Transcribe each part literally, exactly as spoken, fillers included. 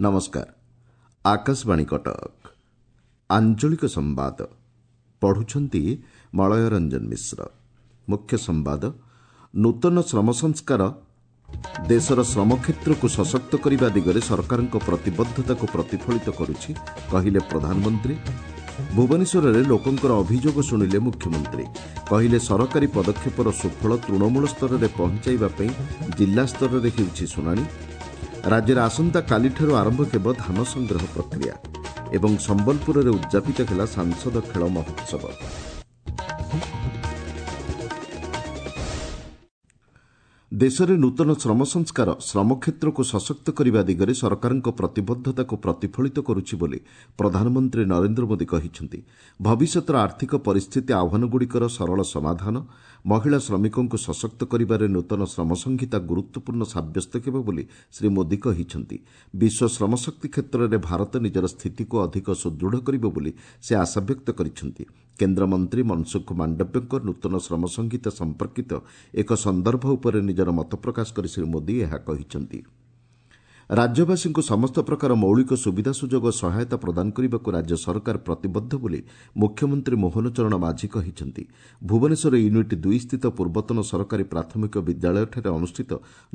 ନମସ୍କାର ଆକାଶବାଣୀ କଟକ ଆଞ୍ଚଳିକ ସମ୍ବାଦ ପଢୁଛନ୍ତି ମଳୟ ରଞ୍ଜନ ମିଶ୍ର ମୁଖ୍ୟ ସମ୍ବାଦ ନୂତନ ଶ୍ରମ ସଂସ୍କାର ଦେଶର ଶ୍ରମ କ୍ଷେତ୍ରକୁ ସଶକ୍ତ କରିବା ଦିଗରେ ସରକାରଙ୍କ ପ୍ରତିବଦ୍ଧତାକୁ ପ୍ରତିଫଳିତ କରୁଛି କହିଲେ ପ୍ରଧାନମନ୍ତ୍ରୀ ଭୁବନେଶ୍ୱରରେ ଲୋକଙ୍କର ଅଭିଯୋଗ ଶୁଣିଲେ ମୁଖ୍ୟମନ୍ତ୍ରୀ କହିଲେ ସରକାରୀ ପଦକ୍ଷେପର ସୁଫଳ ତୃଣମୂଳ ସ୍ତରରେ ପହଞ୍ଚାଇବା ପାଇଁ ଜିଲ୍ଲା ସ୍ତରରେ ହେଉଛି ଶୁଣାଣି ରାଜ୍ୟରେ ଆସନ୍ତାକାଲିଠାରୁ ଆରମ୍ଭ ହେବ ଧାନ ସଂଗ୍ରହ ପ୍ରକ୍ରିୟା ଏବଂ ସମ୍ବଲପୁରରେ ଉଦ୍ଯାପିତ ହେଲା ସାଂସଦ ଖେଳ ମହୋତ୍ସବ ଦେଶରେ ନୂତନ ଶ୍ରମ ସଂସ୍କାର ଶ୍ରମ କ୍ଷେତ୍ରକୁ ସଶକ୍ତ କରିବା ଦିଗରେ ସରକାରଙ୍କ ପ୍ରତିବଦ୍ଧତାକୁ ପ୍ରତିଫଳିତ କରୁଛି ବୋଲି ପ୍ରଧାନମନ୍ତ୍ରୀ ନରେନ୍ଦ୍ର ମୋଦି କହିଛନ୍ତି ଭବିଷ୍ୟତର ଆର୍ଥିକ ପରିସ୍ଥିତି ଆହ୍ୱାନଗୁଡ଼ିକର ସରଳ ସମାଧାନ ମହିଳା ଶ୍ରମିକଙ୍କୁ ସଶକ୍ତ କରିବାରେ ନୂତନ ଶ୍ରମ ସଂହିତା ଗୁରୁତ୍ୱପୂର୍ଣ୍ଣ ସାବ୍ୟସ୍ତ ହେବ ବୋଲି ଶ୍ରୀ ମୋଦି କହିଛନ୍ତି ବିଶ୍ୱ ଶ୍ରମଶକ୍ତି କ୍ଷେତ୍ରରେ ଭାରତ ନିଜର ସ୍ଥିତିକୁ ଅଧିକ ସୁଦୃଢ଼ କରିବ ବୋଲି ସେ ଆଶାବ୍ୟକ୍ତ କରିଛନ୍ତି କେନ୍ଦ୍ରମନ୍ତ୍ରୀ ମନସୁଖ ମାଣ୍ଡବ୍ୟଙ୍କ ନୂତନ ଶ୍ରମ ସଂହିତା ସମ୍ପର୍କିତ ଏକ ସନ୍ଦର୍ଭ ଉପରେ ନିଜର ମତ ପ୍ରକାଶ କରି ଶ୍ରୀ ମୋଦି ଏହା କହିଛନ୍ତି ରାଜ୍ୟବାସୀଙ୍କୁ ସମସ୍ତ ପ୍ରକାର ମୌଳିକ ସୁବିଧା ସୁଯୋଗ ଓ ସହାୟତା ପ୍ରଦାନ କରିବାକୁ ରାଜ୍ୟ ସରକାର ପ୍ରତିବଦ୍ଧ ବୋଲି ମୁଖ୍ୟମନ୍ତ୍ରୀ ମୋହନ ଚରଣ ମାଝୀ କହିଛନ୍ତି ଭୁବନେଶ୍ୱର ୟୁନିଟ୍ ଦୁଇ ସ୍ଥିତ ପୂର୍ବତନ ସରକାରୀ ପ୍ରାଥମିକ ବିଦ୍ୟାଳୟଠାରେ ଅନୁଷ୍ଠିତ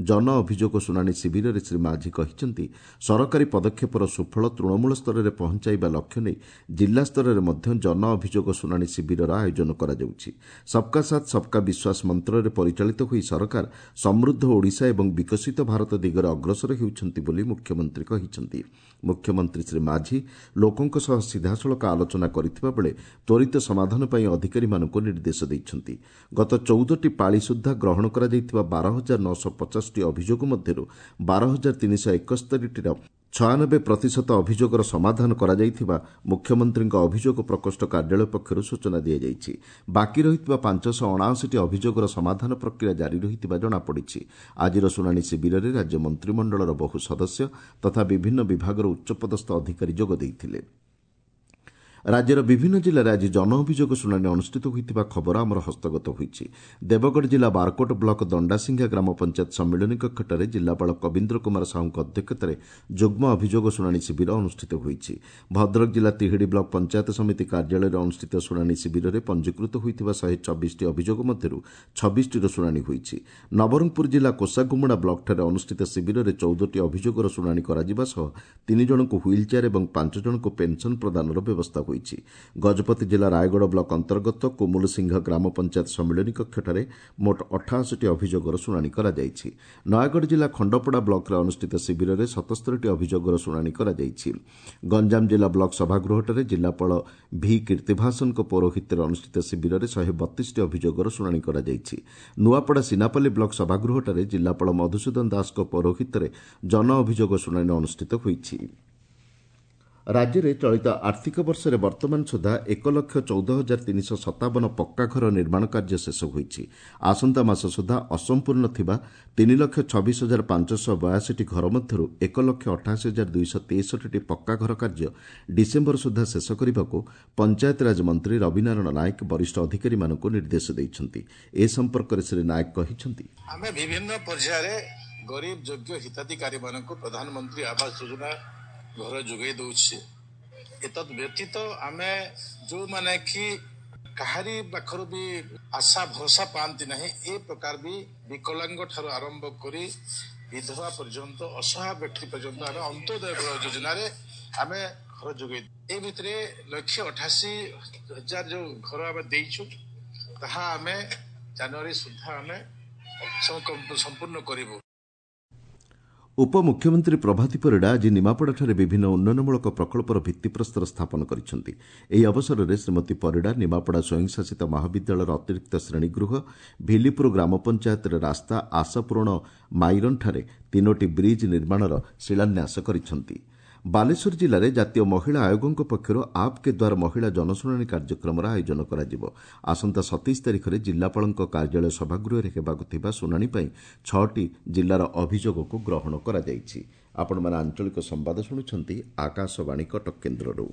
ଜନ ଅଭିଯୋଗ ଶୁଣାଣି ଶିବିରରେ ଶ୍ରୀ ମାଝୀ କହିଛନ୍ତି ସରକାରୀ ପଦକ୍ଷେପର ସୁଫଳ ତୃଣମୂଳ ସ୍ତରରେ ପହଞ୍ଚାଇବା ଲକ୍ଷ୍ୟ ନେଇ ଜିଲ୍ଲା ସ୍ତରରେ ମଧ୍ୟ ଜନ ଅଭିଯୋଗ ଶୁଣାଣି ଶିବିରର ଆୟୋଜନ କରାଯାଉଛି ସବ୍କା ସାଥ୍ ସବ୍କା ବିଶ୍ୱାସ ମନ୍ତ୍ରରେ ପରିଚାଳିତ ହୋଇ ସରକାର ସମୃଦ୍ଧ ଓଡ଼ିଶା ଏବଂ ବିକଶିତ ଭାରତ ଦିଗରେ ଅଗ୍ରସର ହେଉଛନ୍ତି ବୋଲି ମୁଖ୍ୟମନ୍ତ୍ରୀ କହିଛନ୍ତି ମୁଖ୍ୟମନ୍ତ୍ରୀ ଶ୍ରୀ ମାଝୀ ଲୋକଙ୍କ ସହ ସିଧାସଳଖ ଆଲୋଚନା କରିଥିବା ବେଳେ ତ୍ୱରିତ ସମାଧାନ ପାଇଁ ଅଧିକାରୀମାନଙ୍କୁ ନିର୍ଦ୍ଦେଶ ଦେଇଛନ୍ତି ଗତ ଚଉଦଟି ପାଳି ସୁଦ୍ଧା ଗ୍ରହଣ କରାଯାଇଥିବା ବାର ହଜାର ନଅଶହ ପଚାଶଟି ଅଭିଯୋଗ ମଧ୍ୟରୁ ବାର ହଜାର ତିନିଶହ ଏକସ୍ତରୀଟିର ଛୟାନବେ ପ୍ରତିଶତ ଅଭିଯୋଗର ସମାଧାନ କରାଯାଇଥିବା ମୁଖ୍ୟମନ୍ତ୍ରୀଙ୍କ ଅଭିଯୋଗ ପ୍ରକୋଷ୍ଠ କାର୍ଯ୍ୟାଳୟ ପକ୍ଷରୁ ସୂଚନା ଦିଆଯାଇଛି ବାକି ରହିଥିବା ପାଞ୍ଚଶହ ଅଣାଅଶୀଟି ଅଭିଯୋଗର ସମାଧାନ ପ୍ରକ୍ରିୟା ଜାରି ରହିଥିବା ଜଣାପଡ଼ିଛି ଆଜିର ଶୁଣାଣି ଶିବିରରେ ରାଜ୍ୟ ମନ୍ତ୍ରିମଣ୍ଡଳର ବହୁ ସଦସ୍ୟ ତଥା ବିଭିନ୍ନ ବିଭାଗର ଉଚ୍ଚପଦସ୍ଥ ଅଧିକାରୀ ଯୋଗ ଦେଇଥିଲେ ରାଜ୍ୟର ବିଭିନ୍ନ ଜିଲ୍ଲାରେ ଆଜି ଜନ ଅଭିଯୋଗ ଶୁଣାଣି ଅନୁଷ୍ଠିତ ହୋଇଥିବା ଖବର ଆମର ହସ୍ତଗତ ହୋଇଛି ଦେବଗଡ଼ ଜିଲ୍ଲା ବାରକୋଟ ବ୍ଲକ ଦଣ୍ଡାସିଂହା ଗ୍ରାମ ପଞ୍ଚାୟତ ସମ୍ମିଳନୀ କକ୍ଷଠାରେ ଜିଲ୍ଲାପାଳ କବୀନ୍ଦ୍ର କୁମାର ସାହୁଙ୍କ ଅଧ୍ୟକ୍ଷତାରେ ଯୁଗ୍ମ ଅଭିଯୋଗ ଶୁଣାଣି ଶିବିର ଅନୁଷ୍ଠିତ ହୋଇଛି ଭଦ୍ରକ ଜିଲ୍ଲା ତିହିଡ଼ି ବ୍ଲକ ପଞ୍ଚାୟତ ସମିତି କାର୍ଯ୍ୟାଳୟରେ ଅନୁଷ୍ଠିତ ଶୁଣାଣି ଶିବିରରେ ପଞ୍ଜୀକୃତ ହୋଇଥିବା ଶହେ ଚବିଶଟି ଅଭିଯୋଗ ମଧ୍ୟରୁ ଛବିଶଟିର ଶୁଣାଣି ହୋଇଛି ନବରଙ୍ଗପୁର ଜିଲ୍ଲା କୋଷାଗୁମୁଡ଼ା ବ୍ଲକଠାରେ ଅନୁଷ୍ଠିତ ଶିବିରରେ ଚଉଦଟି ଅଭିଯୋଗର ଶୁଣାଣି କରାଯିବା ସହ ତିନି ଜଣଙ୍କୁ ହ୍ୱିଲ୍ ଚେୟାର ଏବଂ ପାଞ୍ଚ ଜଣଙ୍କୁ ପେନ୍ସନ୍ ପ୍ରଦାନର ବ୍ୟବସ୍ଥା ହୋଇଛି ଗଜପତି ଜିଲ୍ଲା ରାୟଗଡ଼ ବ୍ଲକ ଅନ୍ତର୍ଗତ କୁମୁଲସିଂହ ଗ୍ରାମ ପଞ୍ଚାୟତ ସମ୍ମିଳନୀ କକ୍ଷଠାରେ ମୋଟ ଅଠାଅଶୀଟି ଅଭିଯୋଗର ଶୁଣାଣି କରାଯାଇଛି ନୟାଗଡ଼ ଜିଲ୍ଲା ଖଣ୍ଡପଡ଼ା ବ୍ଲକରେ ଅନୁଷ୍ଠିତ ଶିବିରରେ ସତସ୍ତରୀଟି ଅଭିଯୋଗର ଶୁଣାଣି କରାଯାଇଛି ଗଞ୍ଜାମ ଜିଲ୍ଲା ବ୍ଲକ ସଭାଗୃହଠାରେ ଜିଲ୍ଲାପାଳ ଭି କୀର୍ତ୍ତିଭାସନଙ୍କ ପୌରୋହିତ୍ୟରେ ଅନୁଷ୍ଠିତ ଶିବିରରେ ଶହେ ବତିଶଟି ଅଭିଯୋଗର ଶୁଣାଣି କରାଯାଇଛି ନୂଆପଡ଼ା ସିନାପାଲି ବ୍ଲକ ସଭାଗୃହଠାରେ ଜିଲ୍ଲାପାଳ ମଧୁସୂଦନ ଦାସଙ୍କ ପୌରୋହିତ୍ୟରେ ଜନ ଅଭିଯୋଗ ଶୁଣାଣି ଅନୁଷ୍ଠିତ ହୋଇଛି ରାଜ୍ୟରେ ଚଳିତ ଆର୍ଥିକ ବର୍ଷରେ ବର୍ତ୍ତମାନ ସୁଦ୍ଧା ଏକ ଲକ୍ଷ ଚଉଦ ହଜାର ତିନିଶହ ସତାବନ ପକ୍କା ଘର ନିର୍ମାଣ କାର୍ଯ୍ୟ ଶେଷ ହୋଇଛି ଆସନ୍ତା ମାସ ସୁଦ୍ଧା ଅସମ୍ପୂର୍ଣ୍ଣ ଥିବା ତିନି ଲକ୍ଷ ଛବିଶ ହଜାର ପାଞ୍ଚଶହ ବୟାଅଶୀଟି ଘର ମଧ୍ୟରୁ ଏକ ଲକ୍ଷ ଅଠାଅଶୀ ହଜାର ଦୁଇଶହ ତେଷଠିଟି ପକ୍କା ଘର କାର୍ଯ୍ୟ ଡିସେମ୍ବର ସୁଦ୍ଧା ଶେଷ କରିବାକୁ ପଞ୍ଚାୟତିରାଜ ମନ୍ତ୍ରୀ ରବିନାରାୟଣ ନାୟକ ବରିଷ୍ଠ ଅଧିକାରୀମାନଙ୍କୁ ନିର୍ଦ୍ଦେଶ ଦେଇଛନ୍ତି ଏ ସମ୍ପର୍କରେ ଶ୍ରୀ ନାୟକ କହିଛନ୍ତି ଆମେ ବିଭିନ୍ନ ପର୍ଯ୍ୟାୟରେ ଗରିବ ଯୋଗ୍ୟ ହିତାଧିକାରୀମାନଙ୍କୁ ପ୍ରଧାନମନ୍ତ୍ରୀ ଆବାସ ଯୋଜନା ଘର ଯୋଗାଇ ଦଉଛି ଏତଦ୍ ବ୍ୟତୀତ ଆମେ ଯୋଉମାନେ କି କାହାରି ପାଖରୁ ବି ଆଶା ଭରସା ପାଆନ୍ତି ନାହିଁ ଏ ପ୍ରକାର ବି ବିକଳାଙ୍ଗ ଠାରୁ ଆରମ୍ଭ କରି ବିଧବା ପର୍ଯ୍ୟନ୍ତ ଅସହାୟ ବ୍ୟକ୍ତି ପର୍ଯ୍ୟନ୍ତ ଆମେ ଅନ୍ତ୍ୟୋଦୟ ଯୋଜନାରେ ଆମେ ଘର ଯୋଗାଇ ଏ ଭିତରେ ଲକ୍ଷେ ଅଠାଅଶୀ ହଜାର ଯୋଉ ଘର ଆମେ ଦେଇଛୁ ତାହା ଆମେ ଜାନୁଆରୀ ସୁଦ୍ଧା ଆମେ ସମ୍ପୂର୍ଣ୍ଣ କରିବୁ ଉପମୁଖ୍ୟମନ୍ତ୍ରୀ ପ୍ରଭାତୀ ପରିଡ଼ା ଆଜି ନିମାପଡ଼ାଠାରେ ବିଭିନ୍ନ ଉନ୍ନୟନମୂଳକ ପ୍ରକଳ୍ପର ଭିତ୍ତିପ୍ରସ୍ତର ସ୍ଥାପନ କରିଛନ୍ତି ଏହି ଅବସରରେ ଶ୍ରୀମତୀ ପରିଡ଼ା ନିମାପଡ଼ା ସ୍ୱୟଂଶାସିତ ମହାବିଦ୍ୟାଳୟର ଅତିରିକ୍ତ ଶ୍ରେଣୀଗୃହ ଭିଲିପୁର ଗ୍ରାମ ପଞ୍ଚାୟତରେ ରାସ୍ତା ଆଶାପୂରଣ ମାଇରନ୍ଠାରେ ତିନୋଟି ବ୍ରିଜ୍ ନିର୍ମାଣର ଶିଳାନ୍ୟାସ କରିଛନ୍ତି ବାଲେଶ୍ୱର ଜିଲ୍ଲାରେ ଜାତୀୟ ମହିଳା ଆୟୋଗଙ୍କ ପକ୍ଷରୁ ଆପ୍ କେ ଦ୍ୱାର ମହିଳା ଜନଶୁଣାଣି କାର୍ଯ୍ୟକ୍ରମର ଆୟୋଜନ କରାଯିବ ଆସନ୍ତା ସତେଇଶ ତାରିଖରେ ଜିଲ୍ଲାପାଳଙ୍କ କାର୍ଯ୍ୟାଳୟ ସଭାଗୃହରେ ହେବାକୁ ଥିବା ଶୁଣାଣି ପାଇଁ ଛଅଟି ଜିଲ୍ଲାର ଅଭିଯୋଗକୁ ଗ୍ରହଣ କରାଯାଇଛି ଆପଣମାନେ ଆଞ୍ଚଳିକ ସମ୍ବାଦ ଶୁଣୁଛନ୍ତି ଆକାଶବାଣୀ କଟକ କେନ୍ଦ୍ରରୁ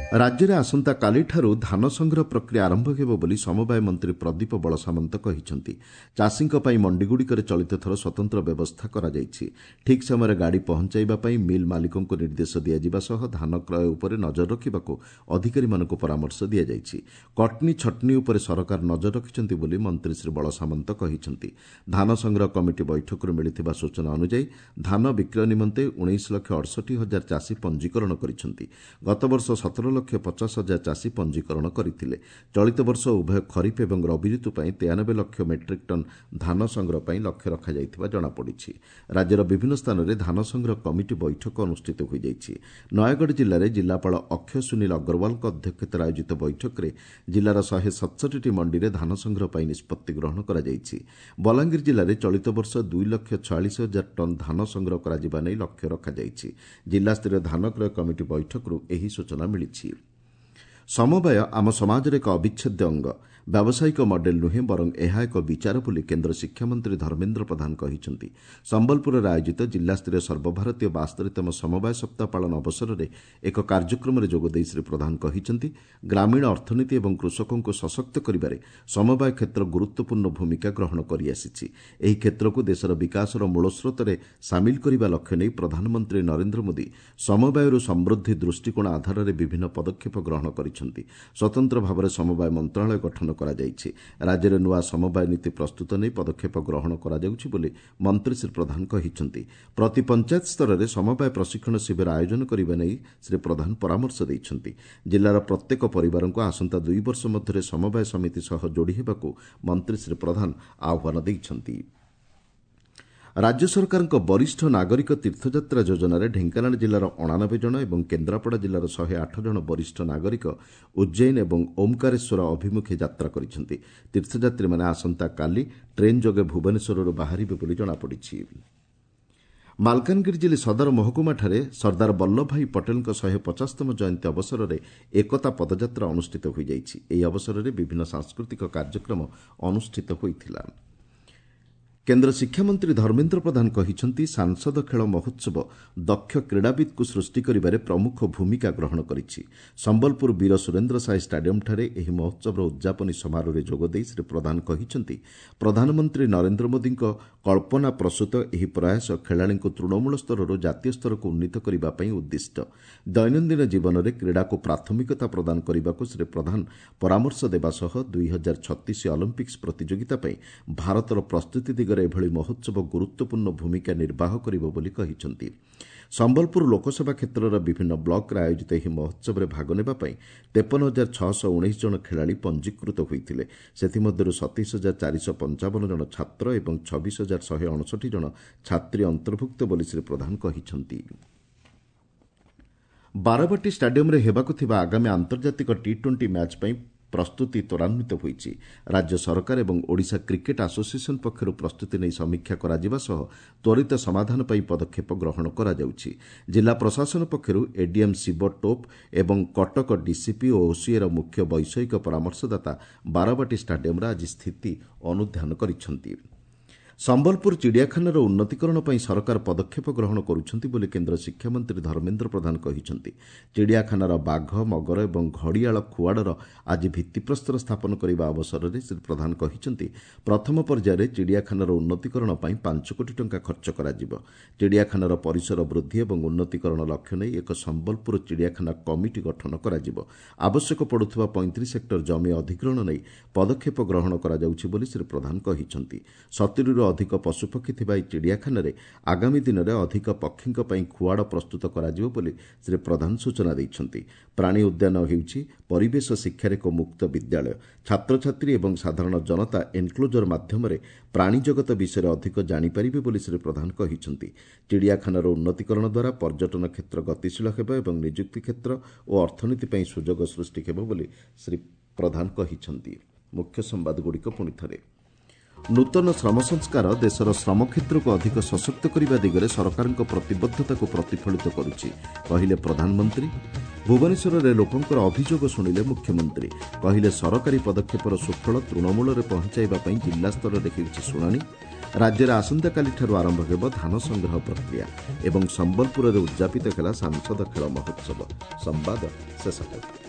ରାଜ୍ୟରେ ଆସନ୍ତାକାଲିଠାରୁ ଧାନ ସଂଗ୍ରହ ପ୍ରକ୍ରିୟା ଆରମ୍ଭ ହେବ ବୋଲି ସମବାୟ ମନ୍ତ୍ରୀ ପ୍ରଦୀପ ବଳସାମନ୍ତ କହିଛନ୍ତି। ଚାଷୀଙ୍କ ପାଇଁ ମଣ୍ଡିଗୁଡ଼ିକରେ ଚଳିତ ଥର ସ୍ୱତନ୍ତ୍ର ବ୍ୟବସ୍ଥା କରାଯାଇଛି। ଠିକ୍ ସମୟରେ ଗାଡ଼ି ପହଞ୍ଚାଇବା ପାଇଁ ମିଲ୍ ମାଲିକଙ୍କୁ ନିର୍ଦ୍ଦେଶ ଦିଆଯିବା ସହ ଧାନ କ୍ରୟ ଉପରେ ନଜର ରଖିବାକୁ ଅଧିକାରୀମାନଙ୍କୁ ପରାମର୍ଶ ଦିଆଯାଇଛି। କଟନୀ ଛଟନୀ ଉପରେ ସରକାର ନଜର ରଖିଛନ୍ତି ବୋଲି ମନ୍ତ୍ରୀ ଶ୍ରୀ ବଳସାମନ୍ତ କହିଛନ୍ତି। ଧାନ ସଂଗ୍ରହ କମିଟି ବୈଠକରୁ ମିଳିଥିବା ସୂଚନା ଅନୁଯାୟୀ ଧାନ ବିକ୍ରୟ ନିମନ୍ତେ ଉଣେଇଶ ଲକ୍ଷ ଅଠଷଠି ହଜାର ଚାଷୀ ପଞ୍ଜୀକରଣ କରିଛନ୍ତି। ଗତବର୍ଷ ସତର ଲକ୍ଷ ପଚାଶ ହଜାର ଚାଷୀ ପଞ୍ଜୀକରଣ କରିଥିଲେ। ଚଳିତ ବର୍ଷ ଉଭୟ ଖରିଫ ଏବଂ ରବି ଋତୁ ପାଇଁ ତେୟାନବେ ଲକ୍ଷ ମେଟ୍ରିକ୍ ଟନ୍ ଧାନ ସଂଗ୍ରହ ପାଇଁ ଲକ୍ଷ୍ୟ ରଖାଯାଇଥିବା ଜଣାପଡ଼ିଛି। ରାଜ୍ୟର ବିଭିନ୍ନ ସ୍ଥାନରେ ଧାନ ସଂଗ୍ରହ କମିଟି ବୈଠକ ଅନୁଷ୍ଠିତ ହୋଇଯାଇଛି। ନୟାଗଡ଼ ଜିଲ୍ଲାରେ ଜିଲ୍ଲାପାଳ ଅକ୍ଷୟ ସୁନୀଲ ଅଗ୍ରୱାଲଙ୍କ ଅଧ୍ୟକ୍ଷତାରେ ଆୟୋଜିତ ବୈଠକରେ ଜିଲ୍ଲାର ଶହେ ସତଷଠିଟି ମଣ୍ଡିରେ ଧାନ ସଂଗ୍ରହ ପାଇଁ ନିଷ୍ପତ୍ତି ଗ୍ରହଣ କରାଯାଇଛି। ବଲାଙ୍ଗୀର ଜିଲ୍ଲାରେ ଚଳିତ ବର୍ଷ ଦୁଇ ଲକ୍ଷ ଛୟାଳିଶ ହଜାର ଟନ୍ ଧାନ ସଂଗ୍ରହ କରାଯିବା ନେଇ ଲକ୍ଷ୍ୟ ରଖାଯାଇଛି। ଜିଲ୍ଲାସ୍ତରୀୟ ଧାନ କ୍ରୟ କମିଟି ବୈଠକରୁ ଏହି ସୂଚନା ମିଳିଛି। ସମବାୟ ଆମ ସମାଜର ଏକ ଅବିଚ୍ଛେଦ୍ୟ ଅଙ୍ଗ। ବ୍ୟାବସାୟିକ ମଡେଲ ନୁହେଁ ବରଂ ଏହା ଏକ ବିଚାର ବୋଲି କେନ୍ଦ୍ର ଶିକ୍ଷାମନ୍ତ୍ରୀ ଧର୍ମେନ୍ଦ୍ର ପ୍ରଧାନ କହିଛନ୍ତି। ସମ୍ବଲପୁରରେ ଆୟୋଜିତ ଜିଲ୍ଲାସ୍ତରୀୟ ସର୍ବଭାରତୀୟ ବାସ୍ତରିତମ ସମବାୟ ସପ୍ତାହ ପାଳନ ଅବସରରେ ଏକ କାର୍ଯ୍ୟକ୍ରମରେ ଯୋଗଦେଇ ଶ୍ରୀ ପ୍ରଧାନ କହିଛନ୍ତି, ଗ୍ରାମୀଣ ଅର୍ଥନୀତି ଏବଂ କୃଷକଙ୍କୁ ସଶକ୍ତ କରିବାରେ ସମବାୟ କ୍ଷେତ୍ର ଗୁରୁତ୍ୱପୂର୍ଣ୍ଣ ଭୂମିକା ଗ୍ରହଣ କରିଆସିଛି। ଏହି କ୍ଷେତ୍ରକୁ ଦେଶର ବିକାଶର ମୂଳସ୍ରୋତରେ ସାମିଲ କରିବା ଲକ୍ଷ୍ୟ ନେଇ ପ୍ରଧାନମନ୍ତ୍ରୀ ନରେନ୍ଦ୍ର ମୋଦି ସମବାୟରୁ ସମୃଦ୍ଧି ଦୃଷ୍ଟିକୋଣ ଆଧାରରେ ବିଭିନ୍ନ ପଦକ୍ଷେପ ଗ୍ରହଣ କରିଛନ୍ତି। ସ୍ୱତନ୍ତ୍ର ଭାବରେ ସମବାୟ ମନ୍ତ୍ରଣାଳୟ ଗଠନ କରାଯାଇଛି। ରାଜ୍ୟରେ ନୂଆ ସମବାୟ ନୀତି ପ୍ରସ୍ତୁତ ନେଇ ପଦକ୍ଷେପ ଗ୍ରହଣ କରାଯାଉଛି ବୋଲି ମନ୍ତ୍ରୀ ଶ୍ରୀ ପ୍ରଧାନ କହିଛନ୍ତି। ପ୍ରତି ପଞ୍ଚାୟତ ସ୍ତରରେ ସମବାୟ ପ୍ରଶିକ୍ଷଣ ଶିବିର ଆୟୋଜନ କରିବା ନେଇ ଶ୍ରୀ ପ୍ରଧାନ ପରାମର୍ଶ ଦେଇଛନ୍ତି। ଜିଲ୍ଲାର ପ୍ରତ୍ୟେକ ପରିବାରଙ୍କୁ ଆସନ୍ତା ଦୁଇ ବର୍ଷ ମଧ୍ୟରେ ସମବାୟ ସମିତି ସହ ଯୋଡ଼ି ହେବାକୁ ମନ୍ତ୍ରୀ ଶ୍ରୀ ପ୍ରଧାନ ଆହ୍ୱାନ ଦେଇଛନ୍ତି। ରାଜ୍ୟ ସରକାରଙ୍କ ବରିଷ୍ଠ ନାଗରିକ ତୀର୍ଥଯାତ୍ରା ଯୋଜନାରେ ଢେଙ୍କାନାଳ ଜିଲ୍ଲାର ଅଣାନବେ ଜଣ ଏବଂ କେନ୍ଦ୍ରାପଡ଼ା ଜିଲ୍ଲାର ଶହେ ଆଠ ଜଣ ବରିଷ୍ଠ ନାଗରିକ ଉଜ୍ଜୈନ ଏବଂ ଓମ୍କାରେଶ୍ୱର ଅଭିମୁଖେ ଯାତ୍ରା କରିଛନ୍ତି। ତୀର୍ଥଯାତ୍ରୀମାନେ ଆସନ୍ତାକାଲି ଟ୍ରେନ୍ ଯୋଗେ ଭୁବନେଶ୍ୱରରୁ ବାହାରିବେ ବୋଲି ଜଣାପଡ଼ିଛି। ମାଲକାନଗିରି ଜିଲ୍ଲା ସଦର ମହକୁମାଠାରେ ସର୍ଦ୍ଦାର ବଲ୍ଲଭଭାଇ ପଟେଲଙ୍କ ଶହେ ପଚାଶତମ ଜୟନ୍ତୀ ଅବସରରେ ଏକତା ପଦଯାତ୍ରା ଅନୁଷ୍ଠିତ ହୋଇଯାଇଛି। ଏହି ଅବସରରେ ବିଭିନ୍ନ ସାଂସ୍କୃତିକ କାର୍ଯ୍ୟକ୍ରମ ଅନୁଷ୍ଠିତ ହୋଇଥିଲା। କେନ୍ଦ୍ର ଶିକ୍ଷାମନ୍ତ୍ରୀ ଧର୍ମେନ୍ଦ୍ର ପ୍ରଧାନ କହିଛନ୍ତି, ସାଂସଦ ଖେଳ ମହୋତ୍ସବ ଦକ୍ଷ କ୍ରୀଡ଼ାବିତ୍କୁ ସୃଷ୍ଟି କରିବାରେ ପ୍ରମୁଖ ଭୂମିକା ଗ୍ରହଣ କରିଛି। ସମ୍ବଲପୁର ବୀର ସୁରେନ୍ଦ୍ର ସାଏ ଷ୍ଟାଡିୟମ୍ଠାରେ ଏହି ମହୋତ୍ସବର ଉଦ୍ଯାପନୀ ସମାରୋହରେ ଯୋଗଦେଇ ଶ୍ରୀ ପ୍ରଧାନ କହିଛନ୍ତି, ପ୍ରଧାନମନ୍ତ୍ରୀ ନରେନ୍ଦ୍ର ମୋଦିଙ୍କ କଳ୍ପନା ପ୍ରସୂତ ଏହି ପ୍ରୟାସ ଖେଳାଳିଙ୍କୁ ତୃଣମୂଳ ସ୍ତରରୁ ଜାତୀୟ ସ୍ତରକୁ ଉନ୍ନୀତ କରିବା ପାଇଁ ଉଦ୍ଦିଷ୍ଟ। ଦୈନନ୍ଦିନ ଜୀବନରେ କ୍ରୀଡ଼ାକୁ ପ୍ରାଥମିକତା ପ୍ରଦାନ କରିବାକୁ ଶ୍ରୀ ପ୍ରଧାନ ପରାମର୍ଶ ଦେବା ସହ ଦୁଇ ହଜାର ଛତିଶ ଅଲିମ୍ପିକ୍ସ ପ୍ରତିଯୋଗିତା ପାଇଁ ଭାରତର ପ୍ରସ୍ତୁତି ଦିଗରେ ଏଭଳି ମହୋତ୍ସବ ଗୁରୁତ୍ୱପୂର୍ଣ୍ଣ ଭୂମିକା ନିର୍ବାହ କରିବ ବୋଲି କହିଛନ୍ତି। ସମ୍ବଲପୁର ଲୋକସଭା କ୍ଷେତ୍ରର ବିଭିନ୍ନ ବ୍ଲକରେ ଆୟୋଜିତ ଏହି ମହୋତ୍ସବରେ ଭାଗ ନେବା ପାଇଁ ତେପନ ହଜାର ଛଅଶହ ଉଣେଇଶ ଜଣ ଖେଳାଳି ପଞ୍ଜୀକୃତ ହୋଇଥିଲେ। ସେଥିମଧ୍ୟରୁ ସତେଇଶ ହଜାର ଚାରିଶହ ପଞ୍ଚାବନ ଜଣ ଛାତ୍ର ଏବଂ ଛବିଶ ହଜାର ଶହେ ଅଣଷଠି ଜଣ ଛାତ୍ରୀ ଅନ୍ତର୍ଭୁକ୍ତ ବୋଲି ଶ୍ରୀ ପ୍ରଧାନ କହିଛନ୍ତି। ବାରବାଟୀ ଷ୍ଟାଡିୟମ୍ରେ ହେବାକୁ ଥିବା ଆଗାମୀ ଆନ୍ତର୍ଜାତିକ ଟି ଟ୍ୱେଣ୍ଟି ମ୍ୟାଚ୍ ପାଇଁ ପ୍ରସ୍ତୁତି ତ୍ୱରାନ୍ୱିତ ହୋଇଛି। ରାଜ୍ୟ ସରକାର ଏବଂ ଓଡ଼ିଶା କ୍ରିକେଟ୍ ଆସୋସିଏସନ୍ ପକ୍ଷରୁ ପ୍ରସ୍ତୁତି ନେଇ ସମୀକ୍ଷା କରାଯିବା ସହ ତ୍ୱରିତ ସମାଧାନ ପାଇଁ ପଦକ୍ଷେପ ଗ୍ରହଣ କରାଯାଉଛି। ଜିଲ୍ଲା ପ୍ରଶାସନ ପକ୍ଷରୁ ଏଡିଏମ୍ ଶିବ ଟୋପ୍ ଏବଂ କଟକ ଡିସିପି ଓ ଓସିଏର ମୁଖ୍ୟ ବୈଷୟିକ ପରାମର୍ଶଦାତା ବାରବାଟୀ ଷ୍ଟାଡିୟମ୍ରେ ଆଜି ସ୍ଥିତି ଅନୁଧ୍ୟାନ କରିଛନ୍ତି। ସମ୍ବଲପୁର ଚିଡ଼ିଆଖାନାର ଉନ୍ନତିକରଣ ପାଇଁ ସରକାର ପଦକ୍ଷେପ ଗ୍ରହଣ କରୁଛନ୍ତି ବୋଲି କେନ୍ଦ୍ର ଶିକ୍ଷାମନ୍ତ୍ରୀ ଧର୍ମେନ୍ଦ୍ର ପ୍ରଧାନ କହିଛନ୍ତି। ଚିଡ଼ିଆଖାନାର ବାଘ, ମଗର ଏବଂ ଘଡ଼ିଆଳ ଖୁଆଡ଼ର ଆଜି ଭିତ୍ତିପ୍ରସ୍ତର ସ୍ଥାପନ କରିବା ଅବସରରେ ଶ୍ରୀ ପ୍ରଧାନ କହିଛନ୍ତି, ପ୍ରଥମ ପର୍ଯ୍ୟାୟରେ ଚିଡ଼ିଆଖାନାର ଉନ୍ନତିକରଣ ପାଇଁ ପାଞ୍ଚ କୋଟି ଟଙ୍କା ଖର୍ଚ୍ଚ କରାଯିବ। ଚିଡ଼ିଆଖାନାର ପରିସର ବୃଦ୍ଧି ଏବଂ ଉନ୍ନତିକରଣ ଲକ୍ଷ୍ୟ ନେଇ ଏକ ସମ୍ବଲପୁର ଚିଡ଼ିଆଖାନା କମିଟି ଗଠନ କରାଯିବ। ଆବଶ୍ୟକ ପଡ଼ୁଥିବା ପଇଁତିରିଶ ହେକ୍ଟର ଜମି ଅଧିଗ୍ରହଣ ନେଇ ପଦକ୍ଷେପ ଗ୍ରହଣ କରାଯାଉଛି ବୋଲି ଶ୍ରୀ ପ୍ରଧାନ କହିଛନ୍ତି। ସତୁରିରୁ ଅଧିକ ପଶୁପକ୍ଷୀ ଥିବା ଏହି ଚିଡ଼ିଆଖାନାରେ ଆଗାମୀ ଦିନରେ ଅଧିକ ପକ୍ଷୀଙ୍କ ପାଇଁ ଖୁଆଡ଼ ପ୍ରସ୍ତୁତ କରାଯିବ ବୋଲି ଶ୍ରୀ ପ୍ରଧାନ ସୂଚନା ଦେଇଛନ୍ତି। ପ୍ରାଣୀ ଉଦ୍ୟାନ ହେଉଛି ପରିବେଶ ଶିକ୍ଷାର ଏକ ମୁକ୍ତ ବିଦ୍ୟାଳୟ। ଛାତ୍ରଛାତ୍ରୀ ଏବଂ ସାଧାରଣ ଜନତା ଏନ୍କ୍ଲୋଜର ମାଧ୍ୟମରେ ପ୍ରାଣୀ ଜଗତ ବିଷୟରେ ଅଧିକ ଜାଣିପାରିବେ ବୋଲି ଶ୍ରୀ ପ୍ରଧାନ କହିଛନ୍ତି। ଚିଡ଼ିଆଖାନାର ଉନ୍ନତିକରଣ ଦ୍ୱାରା ପର୍ଯ୍ୟଟନ କ୍ଷେତ୍ର ଗତିଶୀଳ ହେବ ଏବଂ ନିଯୁକ୍ତି କ୍ଷେତ୍ର ଓ ଅର୍ଥନୀତି ପାଇଁ ସୁଯୋଗ ସୃଷ୍ଟି ହେବ ବୋଲି ଶ୍ରୀ ପ୍ରଧାନ କହିଛନ୍ତି। ମୁଖ୍ୟ ସମ୍ବାଦଗୁଡ଼ିକ ପୁଣି ଥରେ। ନୂତନ ଶ୍ରମ ସଂସ୍କାର ଦେଶର ଶ୍ରମ କ୍ଷେତ୍ରକୁ ଅଧିକ ସଶକ୍ତ କରିବା ଦିଗରେ ସରକାରଙ୍କ ପ୍ରତିବଦ୍ଧତାକୁ ପ୍ରତିଫଳିତ କରୁଛି, କହିଲେ ପ୍ରଧାନମନ୍ତ୍ରୀ। ଭୁବନେଶ୍ୱରରେ ଲୋକଙ୍କର ଅଭିଯୋଗ ଶୁଣିଲେ ମୁଖ୍ୟମନ୍ତ୍ରୀ। କହିଲେ ସରକାରୀ ପଦକ୍ଷେପର ସୁଫଳ ତୃଣମୂଳରେ ପହଞ୍ଚାଇବା ପାଇଁ ଜିଲ୍ଲାସ୍ତରରେ ହେଉଛି ଶୁଣାଣି। ରାଜ୍ୟରେ ଆସନ୍ତାକାଲିଠାରୁ ଆରମ୍ଭ ହେବ ଧାନ ସଂଗ୍ରହ ପ୍ରକ୍ରିୟା ଏବଂ ସମ୍ବଲପୁରରେ ଉଦ୍ଯାପିତ ହେଲା ସାଂସଦ ଖେଳ ମହୋତ୍ସବ। ସମ୍ବାଦ ଶେଷ ହେଲା।